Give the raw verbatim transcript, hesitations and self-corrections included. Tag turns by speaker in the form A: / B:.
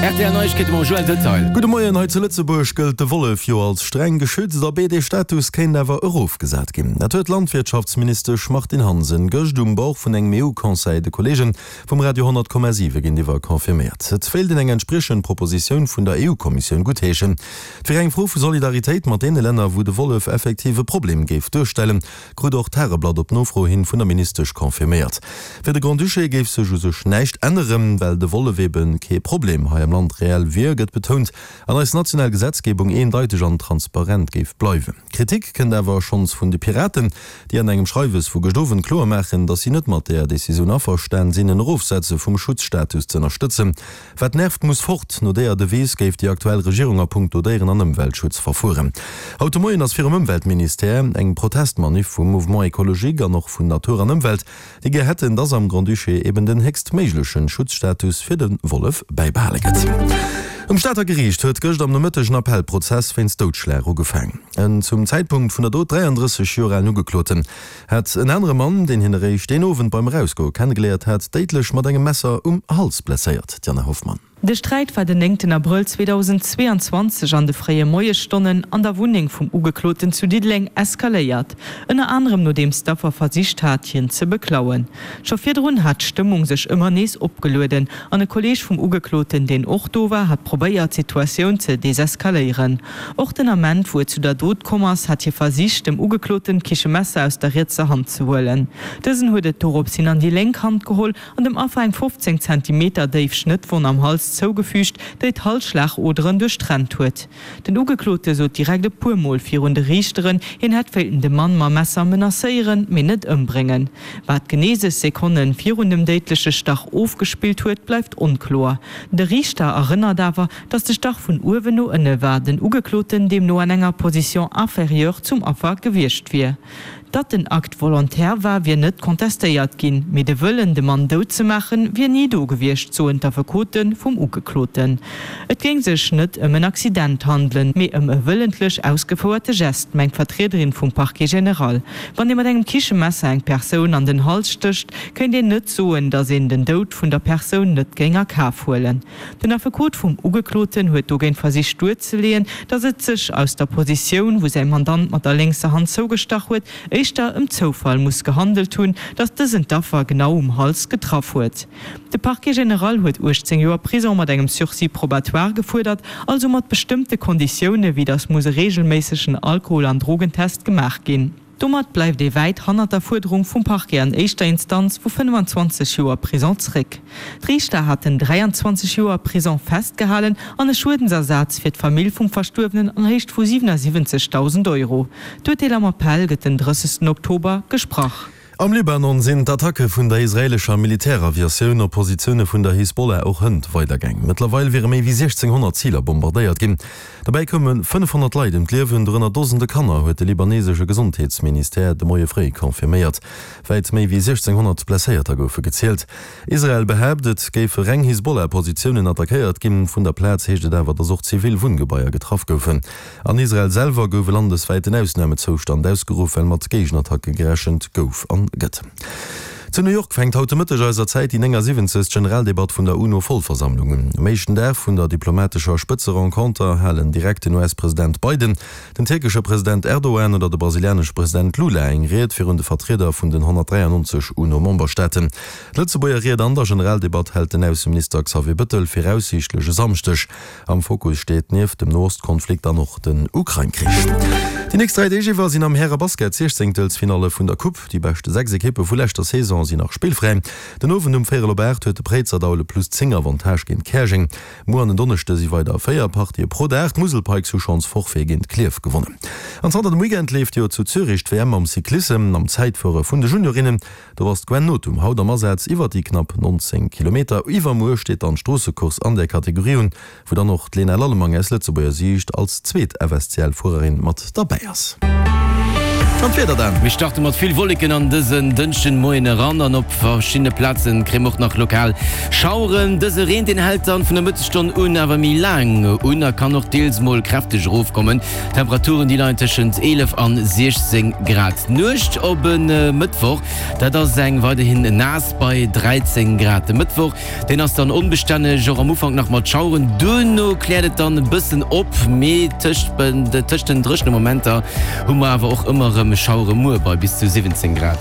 A: R T L Neiegkeete mam Joël Detail.
B: Gudde Moien, hei zu Lëtzebuerg gëllt de Wollef jo als streng geschützt, abee dee Status kéint awer erofgesat ginn. Dat huet d'Landwirtschaftsministesch Martine Hansen gëscht um Bord vun engem E U-Conseil de Kolleege vum Radio honnert Komma siwe géintiwwer confirméiert. Et wéilt een eng entspriechend Propositioun vun der E U-Kommissioun guttheeschen. Et wier eng Fro vu Solidaritéit mat deene Länner, wou de Wollef effektiv e Problem géif duerstellen, krut och d'Tageblatt op Nofro hin vun der Ministesch confirméiert. Fir de Grand-Duché géif sech u sech näischt änneren, well de Wollef eben kee Problem hei am Land reell wier, gëtt betount, an eis national Gesetzgebung eendeiteg an transparent géif bleiwen. Kritik kënnt awer schonns vun de Piraten, déi an engem Schreiwes vu gëscht Owend kloer maachen, datt si net mat där Decisioun averstan sinn, en Erofsetze vum Schutzstatus ze ënnerstëtzen. Wat nervt, muss fort, no deeër Devise géif déi aktuell Regierung a punkto Déieren an Ëmweltschutz verfueren. Haut de Moien ass virum Ëmweltministère eng Protestmanif vum Mouvement Écologique an och vun Natur an Ëmwelt, déi gär hätten, dass am Grand-Duché eben den héchstméiglechen Schutzstatus fir de Wollef bäibehale gëtt. Um Stater Geriicht huet gëscht am Nomëtteg en Appellprozess wéinst Doudschlag ugefaang. En zum Zäitpunkt vun der Dot dräiandrësseg Joer alen Ugekloten hat en anere Mann, deen hien eréischt deen Owend beim Erausgoe kennegeléiert hat, déidlech mat engem Messer um Hals blesséiert. D'Diane Hoffmann.
C: De Sträit war den néngten Abrëll zweedausendzweeanzwanzeg an de fréie Moiesstonnen an der Wunneng vum Ugekloten zu Diddeleng eskaléiert, ënner anerem nodeems d'Affer versicht hat, hien ze beklauen. Scho virdrun hat d'Stëmmung sech ëmmer nees opgelueden an e Kolleeg vum Ugekloten, deen och do war, hat probéiert, d'Situatioun ze deseskaléieren. Och den Ament, wou et zu der Dot komm ass, hat hie versicht, dem Ugekloten d'Kichemesser aus der rietser Hand ze huelen. Dësen huet et dorops hin an déi lénk Hand geholl an dem Affer eng fofzéng Zentimeter déif Schnëttwonn am Hals zougefügt, déi d'Halsschlagoderen duerchtrennt huet. Den Ugeklote sot direkt e puer Mol virun de Riichteren, hien hätt wéilten de Mann mam Messer menacéieren, mee net ëmbréngen. Wat genee sech Sekonne virun dem déidleche Stach ofgespillt huet, bleift onkloer. De Riichter erënnert awer, datt de Stach vun uewen no ënne war, den Ugekloten deemno an enger Position inférieure zum Affer gewiescht wier. Datt den Akt volontaire war, wier net contestéiert ginn, mee de Wëllen, de Mann dout ze maachen, wier ni do gewiescht, soen d'Affekote vum Ugekloten. Et géing sech net ëm en Accident handelen, mee ëm e wëllentlech ausgefouerte Gest, mengt d'Vertriederin vum Parquet général. Wann ee mat engem Kichemesser eng Persoun an den Hals stécht, kéint een net soen, datt een den Doud vun der Persoun net géing a Kaf huelen. Den Affekot vum Ugekloten huet dogéint versicht duerzeleeën, datt et sech aus der Positioun, wou säi Mandant mat der lénkser Hand zougestach huet, éischter ëm Zoufall muss gehandelt hunn, datt dësen d'Affer genau um Hals getraff huet. De Parquet général huet uechtzéng Joer Prisong mat engem Sursis probatoire gefuerdert, also mat bestëmmte Konditioune wéi datt muss e reegelméissegen Alkohol an Drogentest gemaach ginn. Domat bleift ee wäit hannert der Fuerderung vum Parquet an éischter Instanz vu fënnfanzwanzeg Joer Prisong zréck. D'Riichter haten dräianzwanzeg Joer Prisong festgehalen an e Schuedensersaz fir d'Famill vum Verstuerwenen an Héicht vu siwenassiwwenzegdausend Euro. D'Urteel am Appell gëtt den drëssegsten Oktober gesprach.
B: Am Libanon sinn d'Attacke vun der israeelescher Militäraviatioun op Positioune vun der Hisbollah och hënt weidergaang. Mëttlerweil wiere méi wéi siechzénghonnert Ziler bombardéiert ginn. Dobäi koume fënnefhonnert Leit ëm d'Liewen, dorënner Dosende Kanner, huet de libanesesche Gesondheetsministère de Moie fréi confirméiert. Wäit méi wéi siechzénghonnert Blesséierter goufe gezielt. Israel behaapt, et géife reng Hisbollah-Positiounen attackéiert ginn. Vun der Plaz heescht et awer, datt och zivil Wunngebaier getraff goufen. An Israel selwer gouf e landeswäiten Ausnamezoustand ausgeruff, well mat Géigenattacke gerechent gouf an gëtt. Zu New York fänkt haut de Mëtteg eiser Zäit déi néngasiwwenzegst Generaldebatt vun der UNO-Vollversammlung un. Um éischten Dag vun der diplomatescher Spëtzerenconter halen direkt den U S-President Biden, den tierkesche President Erdogan oder de brasilianesche President Lula eng Ried virun de Vertrieder vun den honnertdräiannonzeg UNO-Memberstaaten. D'Lëtzebuerger Ried an der Generaldebatt hält den Ausseminister Xavier Bettel viraussiichtlech e Samschdeg. Am Fokus steet nieft dem Noost-Konflikt dann och den Ukrain-Krich. Déi nächst dräi Deeg iwwer sinn am Häre-Basket d'Siechzéngtelsfinalle vun der Coupe. Déi beschte sechs Ekippe vu leschter Saison sinn nach spillfräi. Den Owend um véierel op aacht huet de Préizerdaul e plus zéng Avantage géint Käerjeng. Muer an en Donneschde si weider véier Partië pro Dag. D'Musel Pikes hu schonns Forfait géint Klierf gewonnen. An zanter dem Weekend leeft jo zu Zürich d'W M am Cyclissem am Zäitfuere vun de Juniorinnen. Do ass d'Gwen Nothum haut am Asaz iwwer déi knapp nonzéng Kilometer. Iwwermuer steet dann d'Stroossecourse an där Kategorie un, wou dann och d'Lena Lallemang aus Lëtzebuerger Siicht als zweet F S C L-Fuererin mat derbäi ass. An d'Wieder dann?
A: Mir starte mat vill Wolleken an dësen Dënschden Moien eran an op verschiddene Plazen kréie mer och nach lokal Schaueren. Dëse Reen deen hält dann vun der Mëttesstonn un awer méi laang un a kann och deels mol kräfteg erofkommen. D'Temperaturen déi leien tëschent eelef an siechzéng Grad. D'Nuecht op e Mëttwoch, dat ass eng weiderhin naass bei dräizéng Grad. De Mëttwoch deen ass dann onbestänneg, och am Ufank nach mat Schaueren, duerno kläert et dann e bëssen op, mee tëscht den dréchene Momenter hu mer awer och ëmmer erëm Schauere muer bei bis zu siwwenzéng Grad.